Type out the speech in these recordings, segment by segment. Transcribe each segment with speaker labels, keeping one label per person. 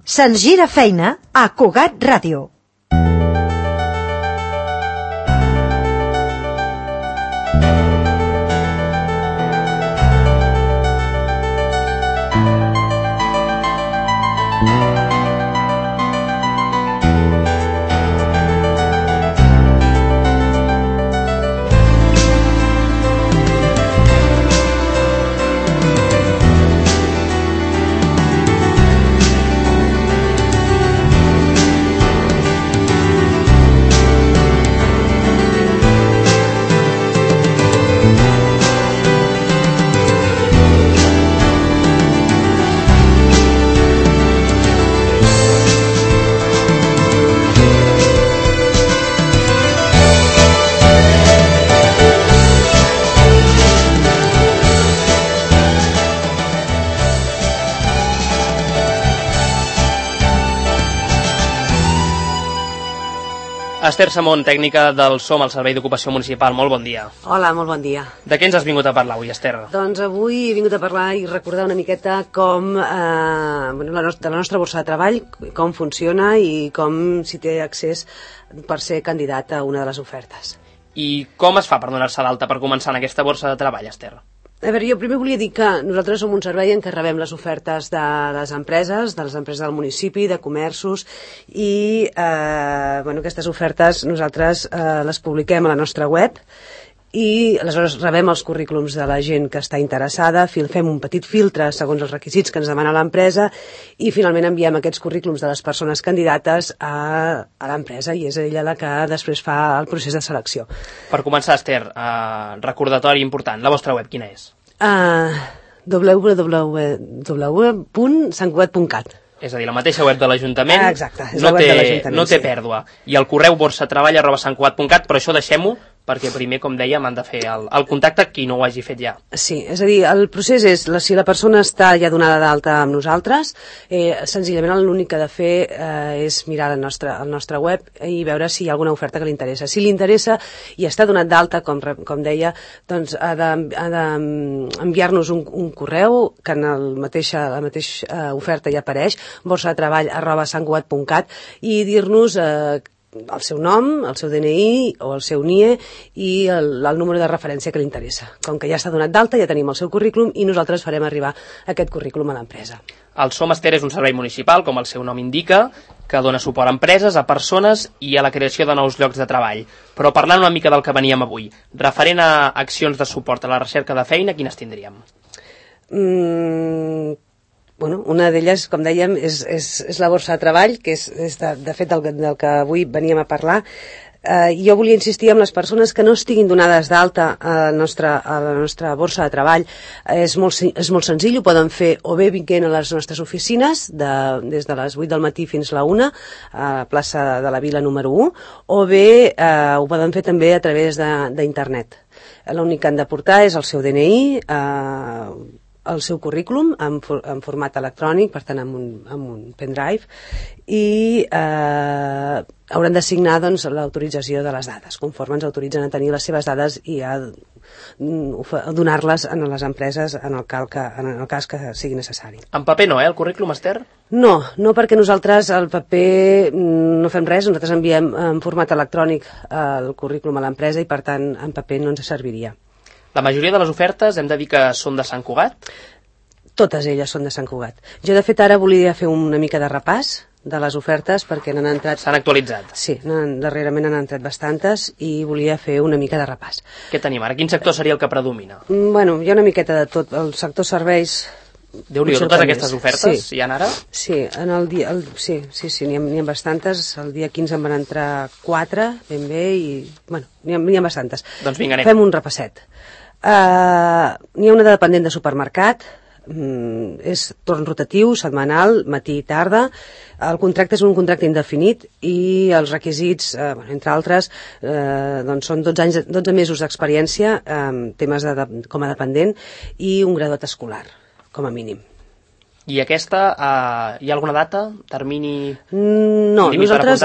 Speaker 1: Se'ns gira feina a Cugat Ràdio.
Speaker 2: Esther Samón, tècnica del SOM al Servei d'Ocupació Municipal, molt bon dia.
Speaker 3: Hola, molt bon dia.
Speaker 2: De què ens has vingut a parlar avui, Esther?
Speaker 3: Doncs avui he vingut a parlar i recordar una miqueta com de la nostra borsa de treball, com funciona i com si té accés per ser candidat a una de les ofertes.
Speaker 2: I com es fa per donar-se d'alta per començar en aquesta borsa de treball, Esther?
Speaker 3: A veure, jo primer volia dir que nosaltres som un servei en què rebem les ofertes de les empreses del municipi, de comerços, i aquestes ofertes nosaltres les publiquem a la nostra web, i aleshores rebem els currículums de la gent que està interessada, fem un petit filtre segons els requisits que ens demana l'empresa i finalment enviem aquests currículums de les persones candidates a l'empresa i és ella la que després fa el procés de selecció.
Speaker 2: Per començar, Esther, recordatori important, la vostra web quina és?
Speaker 3: www.santcugat.cat.
Speaker 2: És a dir, la mateixa web de l'Ajuntament.
Speaker 3: Exacte, és la web de l'Ajuntament.
Speaker 2: No té pèrdua. I el correu borsatreball@santcugat.cat, però això deixem-ho perquè primer, com dèiem, han de fer el contacte qui no ho hagi fet ja.
Speaker 3: Sí, és a dir, el procés és, si la persona està ja donada d'alta amb nosaltres, senzillament l'únic que ha de fer és mirar el nostre web i veure si hi ha alguna oferta que li interessa. Si li interessa i està donat d'alta, com deia, doncs ha d'enviar-nos un correu que en la mateixa oferta ja apareix, borsadetreball@santcugat.cat, i dir-nos el seu nom, el seu DNI o el seu NIE i el número de referència que li interessa. Com que ja està donat d'alta, ja tenim el seu currículum i nosaltres farem arribar aquest currículum a l'empresa.
Speaker 2: El SOM, Esther, és un servei municipal, com el seu nom indica, que dona suport a empreses, a persones i a la creació de nous llocs de treball. Però parlant una mica del que veníem avui, referent a accions de suport a la recerca de feina, quines tindríem?
Speaker 3: Una d'elles, com dèiem, és la borsa de treball, que és de fet del que avui veníem a parlar. Jo volia insistir en les persones que no estiguin donades d'alta a la nostra borsa de treball. És molt senzill, ho poden fer o bé vinguent a les nostres oficines, des de les 8 del matí fins a la 1, a plaça de la Vila número 1, o bé ho poden fer també a través d'internet. L'únic que han de portar és el seu DNI, el seu currículum en format electrònic, per tant amb un pendrive, i hauran de signar l'autorització de les dades, conforme ens autoritzen a tenir les seves dades i a donar-les a les empreses en el cas que sigui necessari.
Speaker 2: En paper no, el currículum, Esther?
Speaker 3: No, perquè nosaltres el paper no fem res, nosaltres enviem en format electrònic el currículum a l'empresa i per tant en paper no ens serviria.
Speaker 2: La majoria de les ofertes hem de dir que són de Sant Cugat?
Speaker 3: Totes elles són de Sant Cugat. Jo, de fet, ara volia fer una mica de repàs de les ofertes perquè n'han entrat...
Speaker 2: S'han actualitzat?
Speaker 3: Sí, darrerament han entrat bastantes i volia fer una mica de repàs.
Speaker 2: Què tenim ara? Quin sector seria el que predomina?
Speaker 3: Bueno, hi ha una miqueta de tot. El sector serveis...
Speaker 2: Déu-n'hi-do, totes aquestes ofertes hi ha ara?
Speaker 3: Sí, n'hi ha bastantes. El dia 15 en van entrar 4, ben bé, i n'hi ha bastantes.
Speaker 2: Doncs vinga, anem.
Speaker 3: Fem un repasset. N'hi ha una de dependent de supermercat, és torn rotatiu, setmanal, matí i tarda. El contracte és un contracte indefinit i els requisits, entre altres, són 12 mesos d'experiència en temes com a dependent i un graduat escolar, com a mínim.
Speaker 2: I aquesta, hi ha alguna data, termini?
Speaker 3: No, nosaltres,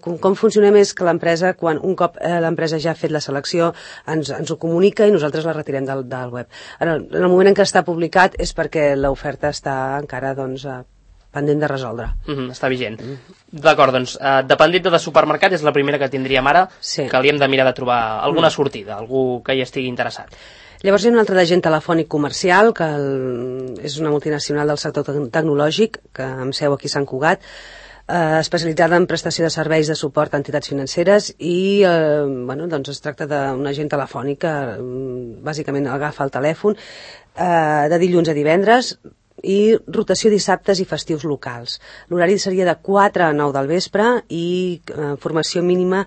Speaker 3: com funcionem és que l'empresa, un cop l'empresa ja ha fet la selecció, ens ho comunica i nosaltres la retirem del web. En el moment en què està publicat és perquè l'oferta està encara pendent de resoldre.
Speaker 2: Està vigent. D'acord, doncs, dependent de supermercat és la primera que tindríem ara, que li hem de mirar de trobar alguna sortida, algú que hi estigui interessat.
Speaker 3: Llavors hi ha un altre d'agent telefònic comercial, que és una multinacional del sector tecnològic, que amb seu aquí a Sant Cugat, especialitzada en prestació de serveis de suport a entitats financeres i doncs es tracta d'un agent telefònic que bàsicament agafa el telèfon de dilluns a divendres i rotació dissabtes i festius locals. L'horari seria de 4 a 9 del vespre i formació mínima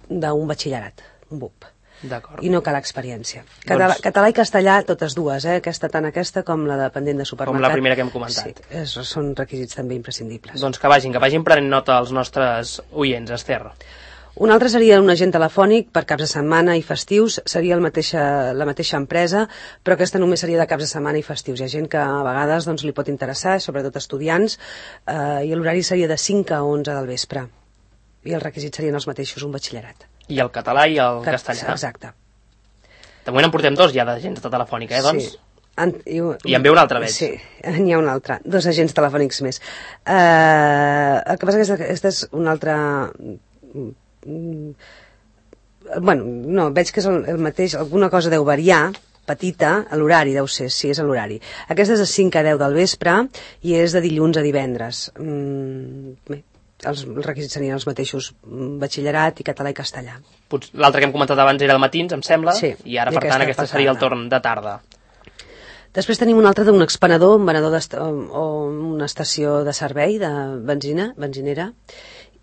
Speaker 3: d'un batxillerat, un BUP. I no cal experiència. Català i castellà, totes dues, tant aquesta com la dependent de supermercat.
Speaker 2: Com la primera que hem comentat.
Speaker 3: Sí, són requisits també imprescindibles.
Speaker 2: Doncs que vagin prenent nota els nostres oients, Esther.
Speaker 3: Un altre seria un agent telefònic per caps de setmana i festius, seria la mateixa empresa, però aquesta només seria de caps de setmana i festius. Hi ha gent que a vegades li pot interessar, sobretot estudiants, i l'horari seria de 5 a 11 del vespre. I els requisits serien els mateixos, un batxillerat.
Speaker 2: I el català i el castellà.
Speaker 3: Exacte.
Speaker 2: De moment en portem 2 ja d'agents telefònica, doncs?
Speaker 3: Sí.
Speaker 2: I en ve un altre, veig.
Speaker 3: Sí, n'hi ha un altre. 2 agents telefònics més. El que passa que aquesta és una altra... no, veig que és el mateix, alguna cosa deu variar, petita, a l'horari deu ser, sí, és a l'horari. Aquesta és de 5 a 10 del vespre i és de dilluns a divendres. Bé, els requisits serien els mateixos, batxillerat i català i castellà.
Speaker 2: L'altre que hem comentat abans era de matins, em sembla,
Speaker 3: i
Speaker 2: ara, per tant, aquesta seria el torn de tarda.
Speaker 3: Després tenim un altre d'un expenedor, un venedor o una estació de servei de benzinera,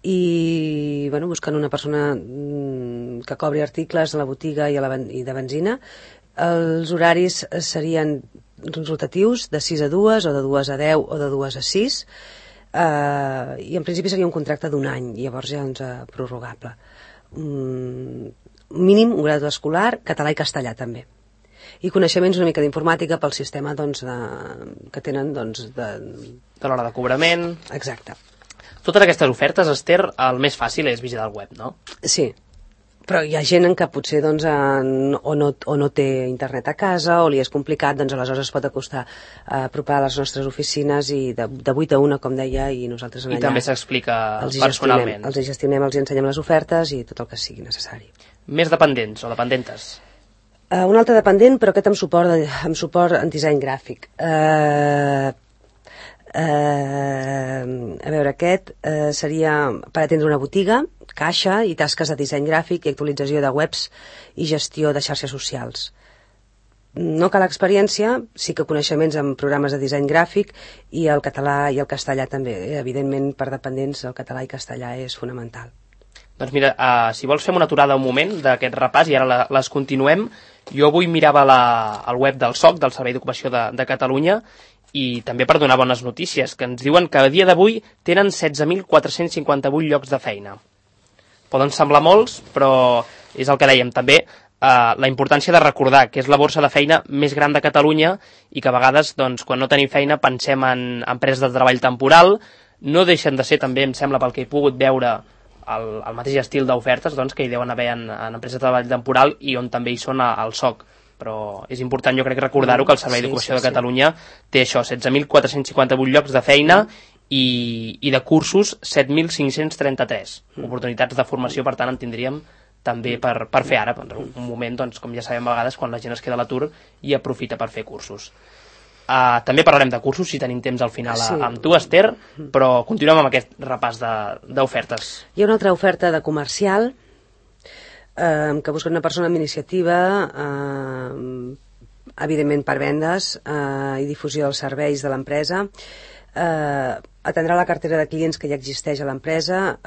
Speaker 3: i buscant una persona que cobri articles de la botiga i de benzina. Els horaris serien rotatius, de 6 a 2, o de 2 a 10, o de 2 a 6, i en principi seria un contracte d'1 any, llavors ja prorrogable. Mínim, un grau escolar, català i castellà també. I coneixements una mica d'informàtica pel sistema que tenen
Speaker 2: de l'hora de cobrament.
Speaker 3: Exacte.
Speaker 2: Totes aquestes ofertes, Esther, el més fàcil és visitar el web, no?
Speaker 3: Sí, però hi ha gent en què potser o no té internet a casa o li és complicat, aleshores es pot acostar a apropar a les nostres oficines i de 8 a 1, com deia, i nosaltres allà...
Speaker 2: I també s'explica personalment.
Speaker 3: Els gestionem, els ensenyem les ofertes i tot el que sigui necessari.
Speaker 2: Més dependents o dependentes?
Speaker 3: Un altre dependent, però aquest amb suport en disseny gràfic. A veure, aquest seria per atendre una botiga, caixa i tasques de disseny gràfic i actualització de webs i gestió de xarxes socials. No cal experiència, sí que coneixements en programes de disseny gràfic i el català i el castellà també. Evidentment, per dependents, el català i castellà és fonamental.
Speaker 2: Doncs mira, si vols fem una aturada un moment d'aquest repàs i ara les continuem. Jo avui mirava el web del SOC, del Servei d'Ocupació de Catalunya, i també per donar bones notícies, que ens diuen que a dia d'avui tenen 16.458 llocs de feina. Poden semblar molts, però és el que dèiem també, la importància de recordar que és la borsa de feina més gran de Catalunya i que a vegades, quan no tenim feina, pensem en empreses de treball temporal. No deixen de ser també, em sembla, pel que he pogut veure, el mateix estil d'ofertes que hi deuen haver en empreses de treball temporal i on també hi són al SOC. Però és important, jo crec, recordar-ho, que el Servei d'Ocupació de Catalunya té això, 16.458 llocs de feina i de cursos 7.533. Oportunitats de formació, per tant, en tindríem també per fer ara, un moment, com ja sabem a vegades, quan la gent es queda a l'atur i aprofita per fer cursos. També parlarem de cursos, si tenim temps al final amb tu, Esther, però continuem amb aquest repàs d'ofertes.
Speaker 3: Hi ha una altra oferta de comercial, que busquen una persona amb iniciativa, evidentment per vendes i difusió dels serveis de l'empresa, atendrà la cartera de clients que ja existeix a l'empresa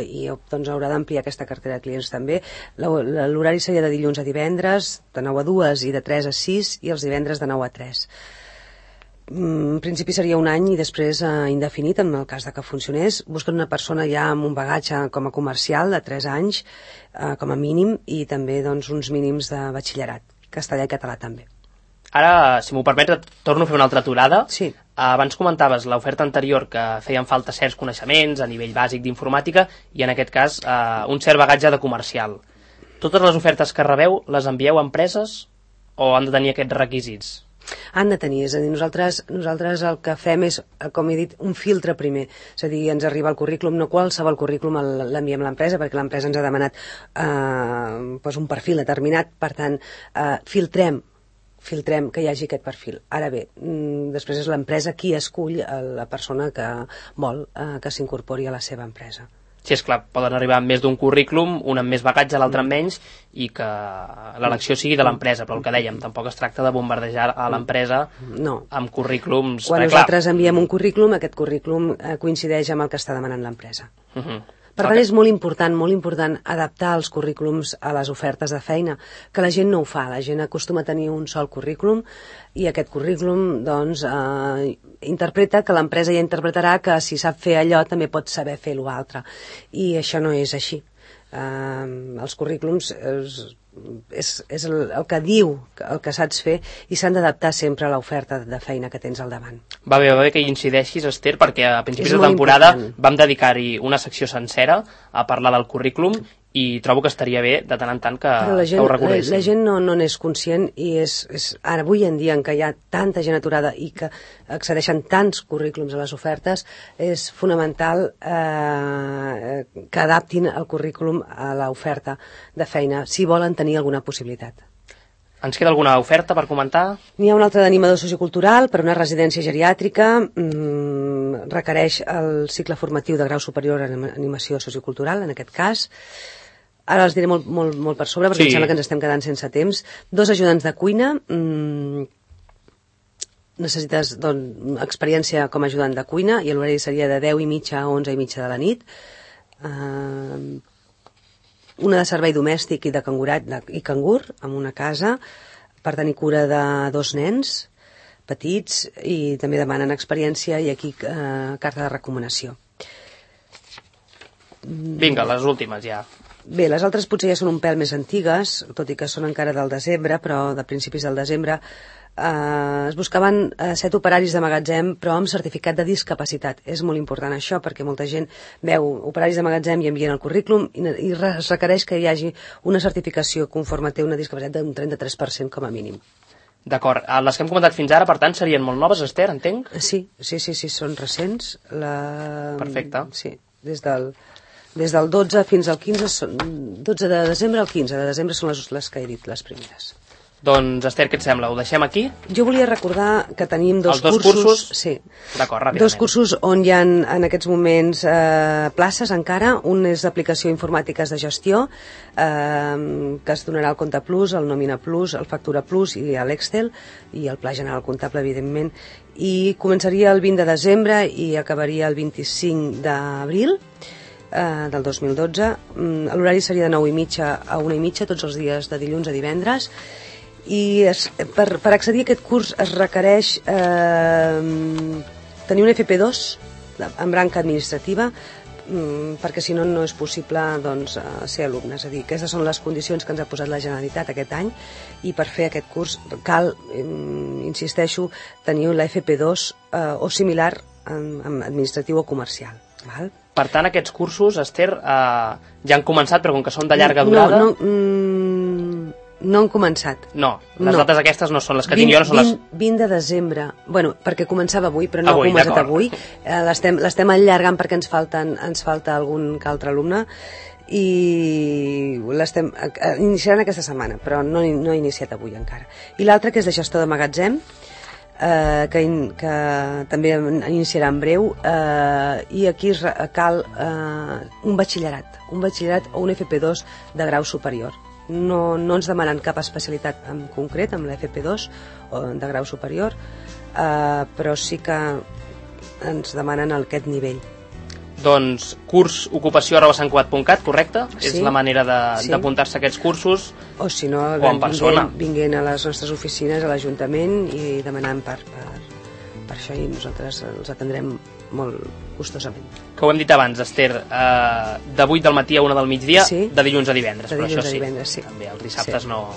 Speaker 3: i haurà d'ampliar aquesta cartera de clients també. L'horari seria de dilluns a divendres, de 9 a 2 i de 3 a 6, i els divendres de 9 a 3. En principi seria 1 any i després indefinit en el cas de que funcionés. Busquen una persona ja amb un bagatge com a comercial de 3 anys com a mínim i també uns mínims de batxillerat, castellà i català també.
Speaker 2: Ara, si m'ho permets, torno a fer una altra aturada.
Speaker 3: Sí.
Speaker 2: Abans comentaves l'oferta anterior que feien falta certs coneixements a nivell bàsic d'informàtica i en aquest cas un cert bagatge de comercial. Totes les ofertes que rebeu les envieu a empreses o han de tenir aquests requisits?
Speaker 3: Han de tenir, és a dir, nosaltres el que fem és, com he dit, un filtre primer, és a dir, ens arriba el currículum, no qualsevol currículum l'enviem a l'empresa, perquè l'empresa ens ha demanat un perfil determinat, per tant, filtrem que hi hagi aquest perfil. Ara bé, després és l'empresa qui escull la persona que vol que s'incorpori a la seva empresa.
Speaker 2: Sí, és clar, poden arribar amb més d'un currículum, un amb més bagatge, l'altre amb menys, i que l'elecció sigui de l'empresa, però el que dèiem, tampoc es tracta de bombardejar a l'empresa amb currículums.
Speaker 3: Quan nosaltres enviem un currículum, aquest currículum coincideix amb el que està demanant l'empresa. Per tant, és molt important adaptar els currículums a les ofertes de feina, que la gent no ho fa, la gent acostuma a tenir un sol currículum i aquest currículum, doncs, interpreta que l'empresa ja interpretarà que si sap fer allò també pot saber fer l'altre. I això no és així. Els currículums és el que diu el que saps fer i s'han d'adaptar sempre a l'oferta de feina que tens al davant.
Speaker 2: Va bé que hi incideixis, Esther, perquè a principis de temporada vam dedicar-hi una secció sencera a parlar del currículum i trobo que estaria bé de tant en tant que ho recordéssim.
Speaker 3: La gent no n'és conscient i ara avui en dia en què hi ha tanta gent aturada i que accedeixen tants currículums a les ofertes, és fonamental que adaptin el currículum a l'oferta de feina si volen tenir alguna possibilitat.
Speaker 2: Ens queda alguna oferta per comentar?
Speaker 3: N'hi ha una altra d'animador sociocultural per una residència geriàtrica, requereix el cicle formatiu de grau superior en animació sociocultural, en aquest cas. Ara els diré molt per sobre, perquè em sembla que ens estem quedant sense temps. 2 ajudants de cuina, necessites experiència com a ajudant de cuina, i l'horari seria de 10:30 a 11:30 de la nit. Una de servei domèstic i de cangurat i cangur, en una casa, per tenir cura de 2 nens petits, i també demanen experiència i aquí carta de recomanació.
Speaker 2: Vinga, les últimes ja.
Speaker 3: Bé, les altres potser ja són un pèl més antigues, tot i que són encara del desembre, però de principis del desembre. Es buscaven 7 operaris de magatzem, però amb certificat de discapacitat. És molt important això, perquè molta gent veu operaris de magatzem i envien el currículum i es requereix que hi hagi una certificació conforme té una discapacitat d'un 33% com a mínim.
Speaker 2: D'acord. Les que hem comentat fins ara, per tant, serien molt noves, Esther, entenc?
Speaker 3: Sí, són recents.
Speaker 2: Perfecte.
Speaker 3: Sí, des del 12 fins al 15, 12 de desembre al 15 de desembre són les que he dit, les primeres.
Speaker 2: Doncs, Esther, què et sembla? Ho deixem aquí?
Speaker 3: Jo volia recordar que tenim dos
Speaker 2: cursos.
Speaker 3: Sí.
Speaker 2: D'acord, ràpidament.
Speaker 3: 2 cursos on hi ha en aquests moments places encara. Un és d'aplicació informàtiques de gestió, que es donarà el Compte Plus, el Nòmina Plus, el Factura Plus i l'Excel, i el Pla General Comptable, evidentment. I començaria el 20 de desembre i acabaria el 25 d'abril del 2012. L'horari seria de 9:30 a 1:30 tots els dies de dilluns a divendres, i per accedir a aquest curs es requereix tenir un FP2 en branca administrativa, perquè si no, no és possible ser alumne. És a dir, aquestes són les condicions que ens ha posat la Generalitat aquest any, i per fer aquest curs cal, insisteixo, tenir la FP2 o similar en administratiu o comercial. Val?
Speaker 2: Per tant, aquests cursos, Esther, ja han començat, però com que són de llarga durada...
Speaker 3: No han començat.
Speaker 2: No, les dates aquestes no són les que tinc jo, no són les...
Speaker 3: 20 de desembre. Bueno, perquè començava avui, però no ha començat avui. L'estem allargant perquè ens falta algun altre alumne, i iniciaran aquesta setmana, però no ha iniciat avui encara. I l'altre, que és de gestor de magatzem, que també iniciarà en breu, i aquí cal un batxillerat o un FP2 de grau superior. No ens demanen cap especialitat en concret amb la FP2 de grau superior, però sí que ens demanen aquest nivell.
Speaker 2: Doncs cursocupació@santcugat.cat, correcte? Sí. És la manera d'apuntar-se a aquests cursos,
Speaker 3: o si no,
Speaker 2: en persona.
Speaker 3: Vinguent a les nostres oficines, a l'Ajuntament, i demanant per això, i nosaltres els atendrem molt gustosament.
Speaker 2: Que ho hem dit abans, Esther, de 8 del matí a 1 del migdia, de dilluns a divendres, però això sí. També els dissabtes no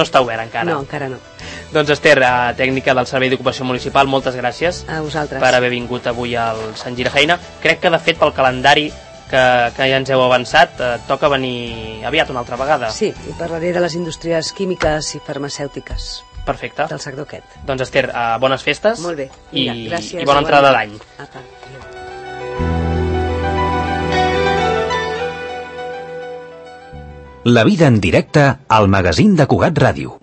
Speaker 2: està obert encara.
Speaker 3: No, encara no.
Speaker 2: Doncs, Esther, tècnica del Servei d'Ocupació Municipal, moltes gràcies
Speaker 3: a vosaltres
Speaker 2: per haver vingut avui al Sant Girafeina. Crec que, de fet, pel calendari que ja ens heu avançat, toca venir aviat una altra vegada.
Speaker 3: Sí, i parlaré de les indústries químiques i farmacèutiques.
Speaker 2: Perfecte.
Speaker 3: del sector aquest.
Speaker 2: Doncs Esther, bones festes.
Speaker 3: Molt bé.
Speaker 2: I,
Speaker 3: Vinga, gràcies,
Speaker 2: i bona entrada d'any.
Speaker 3: Apa.
Speaker 4: La vida en directe al magazín de Cugat Ràdio.